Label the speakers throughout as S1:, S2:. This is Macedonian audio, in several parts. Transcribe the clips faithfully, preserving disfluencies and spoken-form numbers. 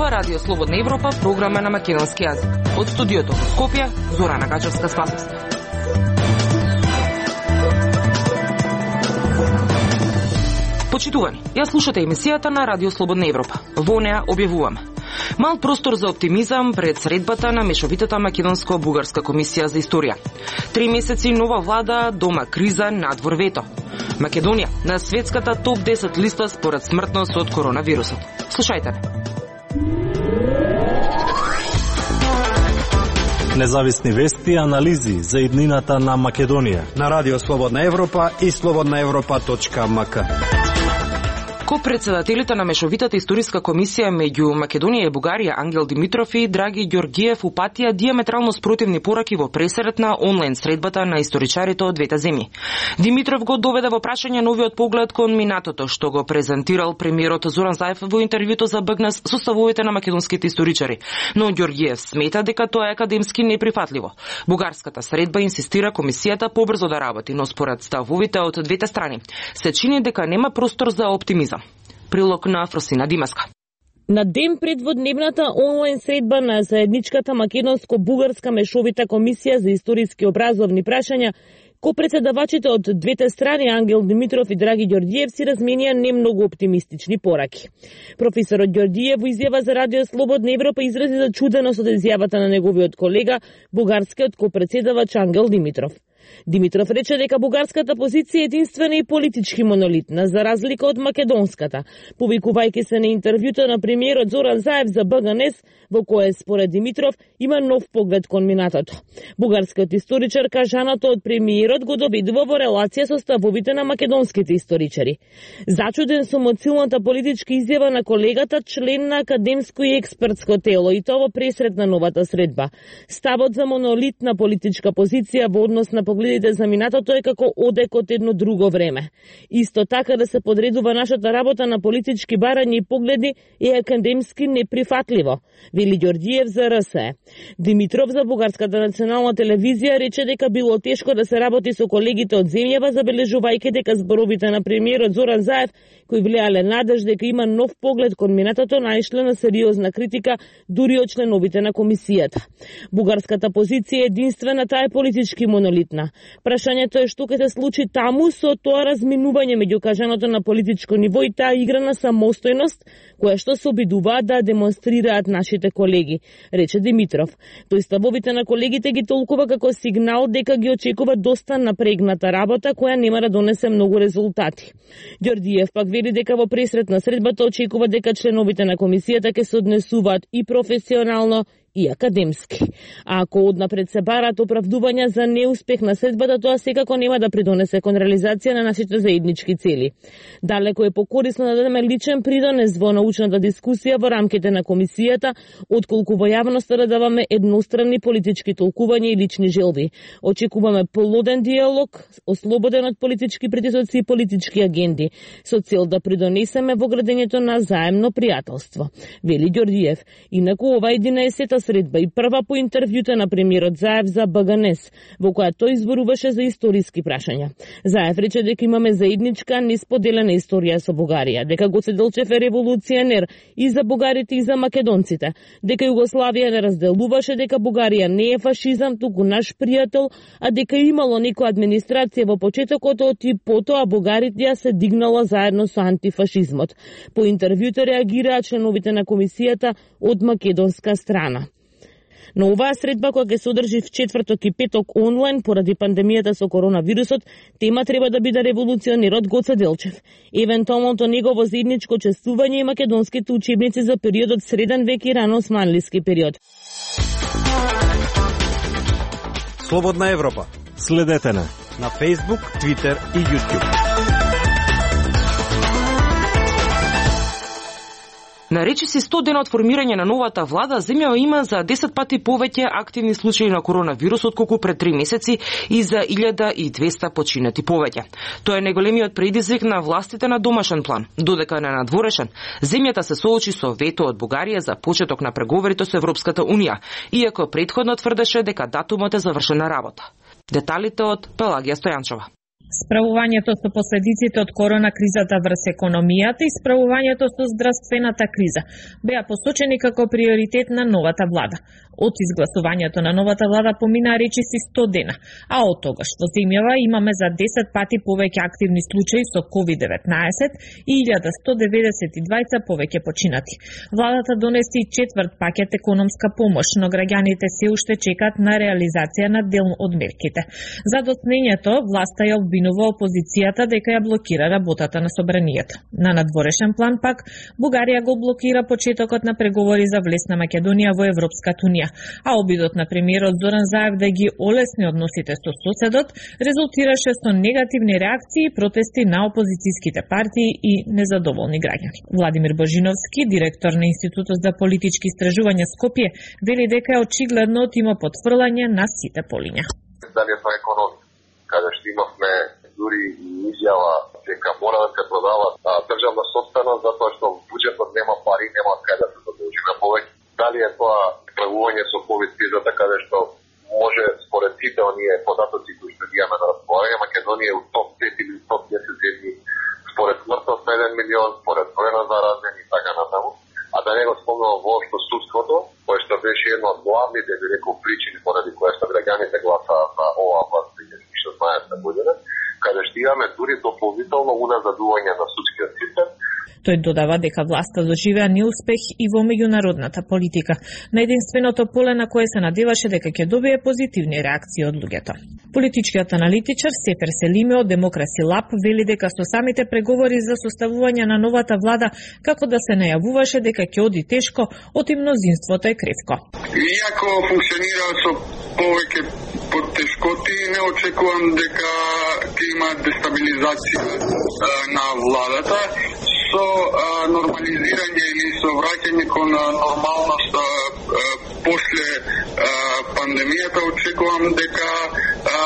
S1: Ова Радио Слободна Европа, програма на македонски јазик. Од студиото во Скопје, Зорана Гачевска-Спасовска. Почитувани, ја слушате емисијата на Радио Слободна Европа. Во неа објавуваме мал простор за оптимизам пред средбата на мешовитата македонско-бугарска комисија за историја. Три месеци нова влада, дома криза, надвор вето. Македонија на светската топ десет листа според смртност од коронавирусот. Слушајте ме.
S2: Независни вести и анализи за иднината на Македонија
S3: на Радио Слободна Европа и слободна европа точка ем ка.
S1: Ко-председателите на мешовитата историска комисија меѓу Македонија и Бугарија Ангел Димитров и Драги Ѓорѓиев упатија диаметрално спротивни пораки во пресрет на онлайн средбата на историчарите од двете земји. Димитров го доведе во прашање новиот поглед кон минатото, што го презентирал премиерот Зоран Заев во интервјуто за БГНЕС со ставовите на македонските историчари, но Ѓорѓиев смета дека тоа е академски неприфатливо. Бугарската средба инсистира комисијата побрзо да работи, но според ставовите од двете страни се чини дека нема простор за оптимизам. Прилог на Фросина Димаска.
S4: На ден пред водневната онлайн средба на заедничката македонско-бугарска мешовита комисија за историски образовни прашања, ко-председавачите од двете страни Ангел Димитров и Драги Ѓорѓиев си разменија не многу оптимистични пораки. Професорот Ѓорѓиев во изјава за Радио Слободна Европа изрази зачуденост од изјавата на неговиот колега, бугарскиот ко-председавач Ангел Димитров. Димитров рече дека бугарската позиција е единствена и политички монолитна, за разлика од македонската, повикувајќи се на интервјуто на премиерот Зоран Заев за БГНЕС, во кое според Димитров има нов поглед кон минатото. Бугарскиот историчар кажаното од премиерот го доведува во релација со ставовите на македонските историчари. Зачуден сум од силната политичка изјава на колегата, член на академско и експертско тело, и тоа во пресрет на новата средба. Ставот за монолитна политичка позиција во однос на погледите за минатото е како одек од едно друго време. Исто така да се подредува нашата работа на политички барања и погледи е академски неприфатливо, вели Ѓорѓиев за РСЕ. Димитров за Бугарската национална телевизија рече дека било тешко да се работи со колегите од земјава, забележувајќи дека зборовите на премиерот Зоран Заев, кои влијале надеж дека има нов поглед кон минатото, наишле на сериозна критика дури од членовите на комисијата. Бугарската позиција е единствена, таа е политички монолитна. Прашањето е што ќе се случи таму со тоа разминување меѓу кажаното на политичко ниво и таа игра на самостојност, која што се обидуваат да демонстрираат нашите колеги, рече Димитров. Тој ставовите на колегите ги толкува како сигнал дека ги очекува доста напрегната работа, која нема да донесе многу резултати. Ѓорѓиев пак вели дека во пресрет на средбата очекува дека членовите на комисијата ќе се однесуваат и професионално и академски. А ако однапред се барат оправдувања за неуспех на средбата, тоа секако нема да придонесе кон реализација на нашите заеднички цели. Далеко е покорисно да дадеме личен придонес во научната дискусија во рамките на комисијата, отколку во јавноста да даваме едностранни политички толкувања и лични желби. Очекуваме плоден диалог, ослободен од политички притисоци и политички агенди, со цел да придонесеме во градењето на заемно пријателство, вели Ѓорѓиев. Инаку ова единаесета средба и прва по интервјута на премиерот Заев за БГНЕС, во која тој зборуваше за историски прашања. Заев рече дека имаме заедничка несподелена историја со Бугарија, дека Гоце Делчев е револуционер и за бугарите и за македонците, дека Југославија не разделуваше, дека Бугарија не е фашизам, туку наш пријател, а дека имало некоја администрација во почетокот и потоа бугарите ја се дигнала заедно со антифашизмот. По интервјуто реагираа членовите на комисијата од македонска страна. Но оваа средба, која ќе се одржи в четврток и петок онлайн поради пандемијата со коронавирусот, тема треба да биде револуционерот Гоце Делчев, евентуалното негово заедничко чествување и македонските учебници за периодот среден век и рано османлиски период.
S3: Слободна Европа.
S2: Следете на
S3: на Facebook, Twitter и YouTube.
S1: На речиси сто дена од формирање на новата влада, земјава има за десет пати повеќе активни случаи на коронавирус отколку пред три месеци и за илјада и двесте починати повеќе. Тоа е најголемиот предизвик на властите на домашен план. Додека на надворешен, земјата се соочи со вето од Бугарија за почеток на преговорите со Европската унија, иако претходно тврдеше дека датумот е завршена работа. Деталите од Пелагија Стојанчова.
S4: Справувањето со последиците од корона кризата врз економијата и справувањето со здравствената криза беа посочени како приоритет на новата влада. Од изгласувањето на новата влада поминаа речиси сто дена, а од тогаш во земјава имаме за десет пати повеќе активни случаи со ковид деветнаесет и илјада сто деветдесет и двајца повеќе починати. Владата донесе и четврт пакет економска помош, но граѓаните се уште чекаат на реализација на дел од мерките. За доцнењето власта ја обвинува опозицијата дека ја блокира работата на собранието. На надворешен план пак Бугарија го блокира почетокот на преговори за влез на Македонија во Европската унија, а обидот на премиерот Зоран Заев да ги олесни односите со соседот резултираше со негативни реакции и протести на опозицијските партии и незадоволни граѓани. Владимир Божиновски, директор на Институтот за политички истражувања Скопје, вели дека е очигледно има потврлање на сите полиња.
S5: Дали е тоа економија, каде што имавме дури и изјава дека мора да се продава државна собственост затоа што буџетот нема пари, нема каде да се задолжиме повеќе. Дали е тоа справување со ковид кризата каде што може според сите оние податоци кои што ги имаме на располагање, Македонија е у топ пет или топ десет земји според смртност на еден милион, според број на заразени и така натаму. А да не го спомнувам воопшто судството, кое што беше една од главните, би рекол, причини поради која што граѓаните гласаа за оваа власт две илјади и шеснаесетта година, каде што имаме дури дополнително уназадување на судскиот систем.
S4: Тој додава дека власта доживеа неуспех и во меѓународната политика, на единственото поле на кое се надеваше дека ќе добие позитивни реакции од луѓето. Политичкиот аналитичар Сефер Селиме од Демокраси Лаб вели дека со самите преговори за составување на новата влада, како да се најавуваше дека ќе оди тешко, оти мнозинството е кревко.
S6: Иако функционира со повеќе потешкоти, не очекувам дека ќе има дестабилизација на владата. Со а, нормализирање или со враќање кон нормалност а, а, после а, пандемијата, очекувам дека а,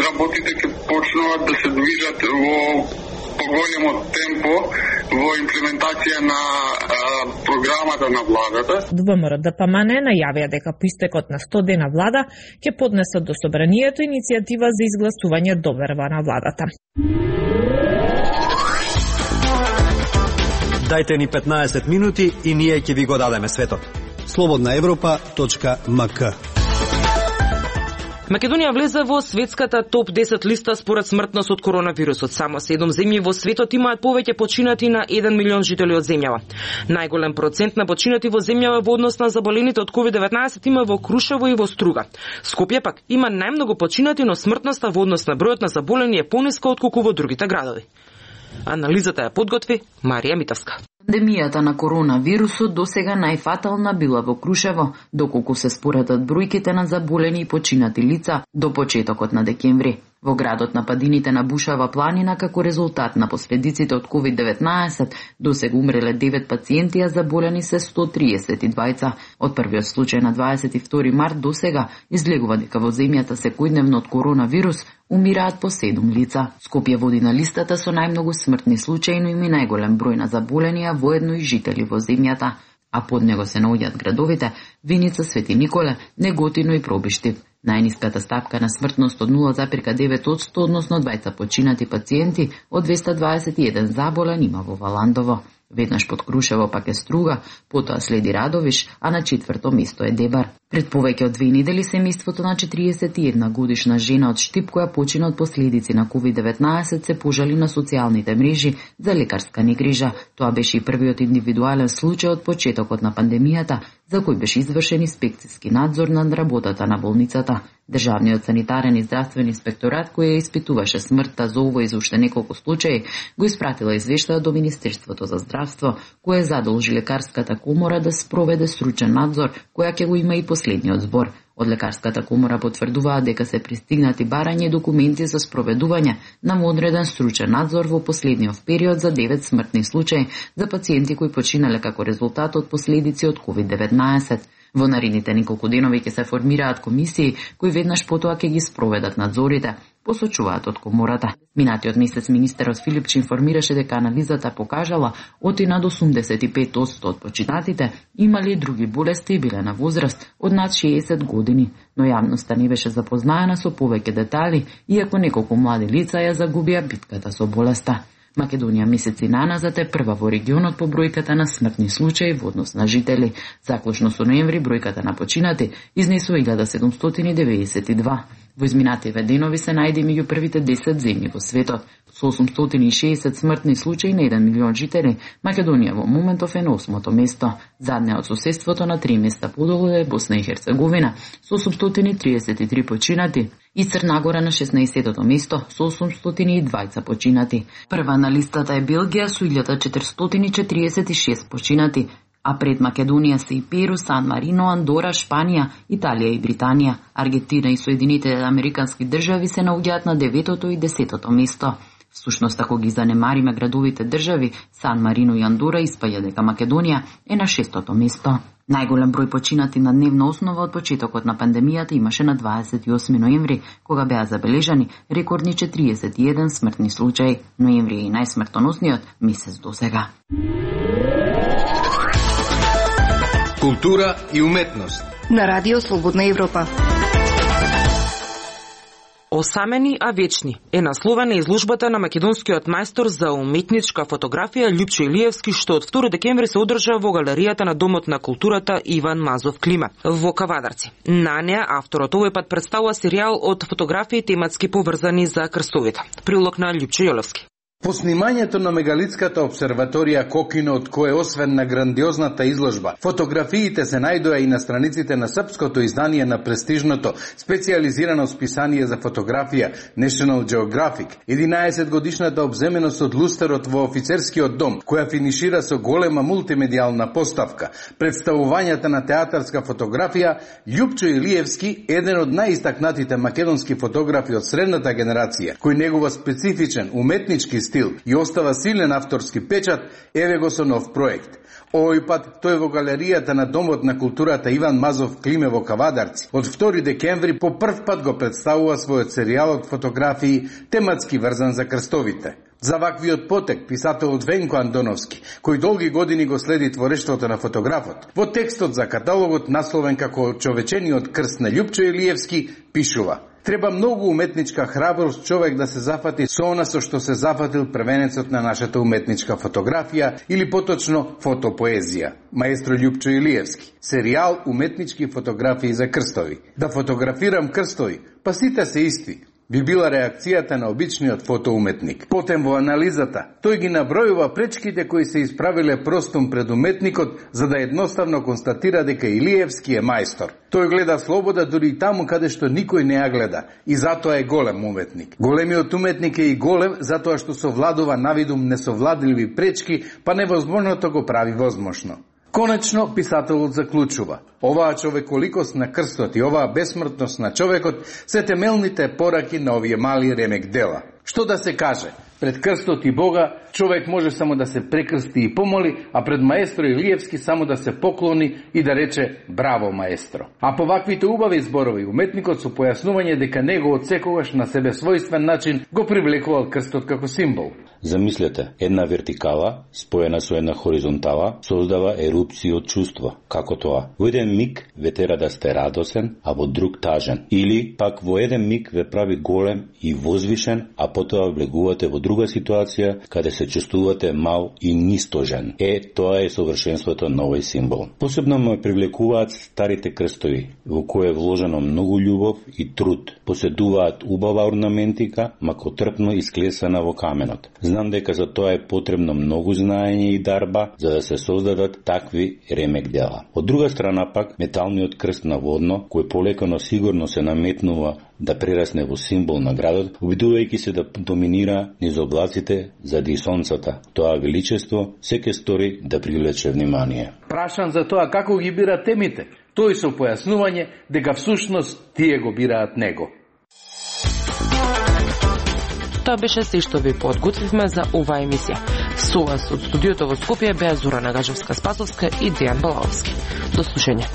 S6: работите ќе почнуваат да се движат во поголемо темпо во имплементација на а, програмата на владата.
S4: ДВМР ДПМН најавија дека по истекот на сто дена влада ќе поднесат до собранието иницијатива за изгласување доверба на владата.
S3: Дајте ни петнаесет минути и ние ќе ви го дадеме светот. слободна европа точка ем ка.
S1: Македонија влезе во светската топ десет листа според смртност од коронавирусот. Само седум земји во светот имаат повеќе починати на еден милион жители од земјава. Најголем процент на починати во земјава во однос на заболените од ковид деветнаесет има во Крушево и во Струга. Скопје пак има најмногу починати, но смртноста во однос на бројот на заболени е пониска отколку во другите градови. Анализата ја подготви Марија Митовска.
S7: Пандемијата на коронавирусот досега најфатална била во Крушево, доколку се споредат бројките на заболени и починати лица до почетокот на декември. Во градот на падините на Бушава планина, како резултат на последиците од ковид деветнаесет, досега умреле девет пациенти, а заболени се сто триесет и двајца. Од првиот случај на дваесет и втори март досега излегува дека во земјата секојдневно од коронавирус умираат по седум лица. Скопје води на листата со најмногу смртни случаи, но има и најголем број на заболени, а воедно и жители во земјата. А под него се наоѓаат градовите Виница, Свети Николе, Неготино и Пробиштив. Најниската стапка на смртност од нула запирка девет одсто, односно двајца починати пациенти од двеста дваесет и еден заболен има во Валандово. Веднаш под Крушево пак е Струга, потоа следи Радовиш, а на четврто место е Дебар. Пред повеќе од две недели семејството на четириесет и една годишна жена од Штип, која почина од последици на ковид деветнаесет, се пожали на социјалните мрежи за лекарска негрижа. Тоа беше и првиот индивидуален случај од почетокот на пандемијата, за кој беше извршен инспекцијски надзор над работата на болницата. Државниот санитарен и здравствен инспекторат, кој ја испитуваше смртта за овој и за уште неколку случаи, го испратила извештаја до Министерството за здравство, кое задолжи лекарската комора да спроведе стручен надзор, која ќе го има и последниот збор. Од лекарската комора потврдуваат дека се пристигнати барање и документи за спроведување на одреден стручен надзор во последниот период за девет смртни случаи за пациенти кои починале како резултат од последици од ковид деветнаесет. Во наредните неколку денови ќе се формираат комисии кои веднаш потоа ќе ги спроведат надзорите, посочуваат од комората. Минатиот месец министерот Филипч информираше дека анализата покажала оти над осумдесет и пет одсто од починатите имали други болести и биле на возраст од над шеесет години, но јавноста не беше запознаена со повеќе детали, иако неколку млади лица ја загубија битката со болеста. Македонија месеци наназад е прва во регионот по бројката на смртни случаи во однос на жители. Заклучно со ноември бројката на починати изнесува илјада седумстотини деведесет и два. Во изминативе денови се најде меѓу првите десет земји во светот. Со осумстотини и шеесет смртни случаи на еден милион жители, Македонија во моментов е на осмото место. Задне од соседството на три места подолу е Босна и Херцеговина со осумстотини триесет и три починати и Црна Гора на шеснаесеттото место со осумстотини и дваесет починати. Прва на листата е Белгија со илјада четиристотини четириесет и шест починати, а пред Македонија се и Перу, Сан Марино, Андора, Шпанија, Италија и Британија. Аргентина и Соединетите американски држави се наоѓаат на деветото и десетото место. Всушност, ако ги занемариме градовите држави, Сан Марино и Андора испаѓа дека Македонија е на шестото место. Најголем број починати на дневна основа од почетокот на пандемијата имаше на дваесет и осми ноември, кога беа забележани рекордни четириесет и еден смртни случаи. Ноември е и најсмртоносниот месец до сега.
S8: Култура и уметност
S9: на Радио Слободна Европа.
S1: Осамени, а вечни е насловена изложбата на македонскиот мајстор за уметничка фотографија Љупчо Илиевски, што од втори декември се одржа во галеријата на Домот на културата Иван Мазов Клима во Кавадарци. На неа авторот овој пат представува серијал од фотографии тематски поврзани за крстовите. Прилог на Љупчо Илиевски.
S10: По снимањето на мегалитската обсерваторија Кокино, од кое освен на грандиозната изложба, фотографиите се најдоа и на страниците на српското издание на престижното специјализирано списание за фотографија National Geographic, единаесет годишната обземеност од лустерот во офицерскиот дом, која финишира со голема мултимедијална поставка, представувањата на театарска фотографија. Љупчо Илиевски, еден од најистакнатите македонски фотографи од средната генерација, кој негова специфичен уметнички стил и остава силен авторски печат, еве го со нов проект. Овој пат тој во галеријата на Домот на културата Иван Мазов Климе во Кавадарци. Од втори декември по прв пат го представува својот серијал од фотографии тематски врзан за крстовите. За ваквиот потек писателот Венко Андоновски, кој долги години го следи творештвото на фотографот, во текстот за каталогот насловен како Човечениот крст на Љупчо Илиевски, пишува: треба многу уметничка храброст човек да се зафати со она со што се зафатил првенецот на нашата уметничка фотографија, или поточно фотопоезија, маестро Љупчо Илиевски. Серијал уметнички фотографии за крстови. Да фотографирам крстови, па сите се исти, би била реакцијата на обичниот фотоуметник. Потем во анализата, тој ги набројува пречките кои се исправиле простум пред уметникот, за да едноставно констатира дека Илиевски е мајстор. Тој гледа слобода дури и таму каде што никој не ја гледа, и затоа е голем уметник. Големиот уметник е и голем затоа што совладува навидум несовладливи пречки, па невозможното го прави возможно. Конечно, писателот заклучува: оваа човеколикост на крстот и оваа бесмртност на човекот се темелните пораки на овие мали ремек дела. Што да се каже? Пред крстот и Бога човек може само да се прекрсти и помоли, а пред маестро Илиевски само да се поклони и да рече браво маестро. А по ваквите убави зборови уметникот со појаснување дека него од секогаш на себе својствен начин го привлекувал крстот како символ.
S11: Замислете, една вертикала споена со една хоризонтала создава ерупција од чувство. Како тоа? Во еден миг ве тера да сте радосен, а во друг тажен. Или пак во еден миг ве прави голем и возвишен, а потоа влегувате во друга ситуација каде се чувствувате мал и нистожен. Е, тоа е совршенството на овој символ. Посебно ме привлекуваат старите крстови, во кои е вложено многу љубов и труд. Поседуваат убава орнаментика, мако трпно исклесана во каменот. Знам дека за тоа е потребно многу знаење и дарба за да се создадат такви ремек дела. Од друга страна пак, металниот крст на водно, кој полека но сигурно се наметнува да прерасне во символ на градот, обидувајќи се да доминира низ облаците заради сонцата. Тоа величество секој стори да привлече внимание.
S10: Прашан за тоа како ги бира темите, тој со појаснување дека всушност тие го бираат него.
S1: Тоа беше се што ви подготвивме за оваа емисија. Со вас од студиото во Скопје беа Зора Нагажевска-Спасовска и Дејан Балаовски. До слушање.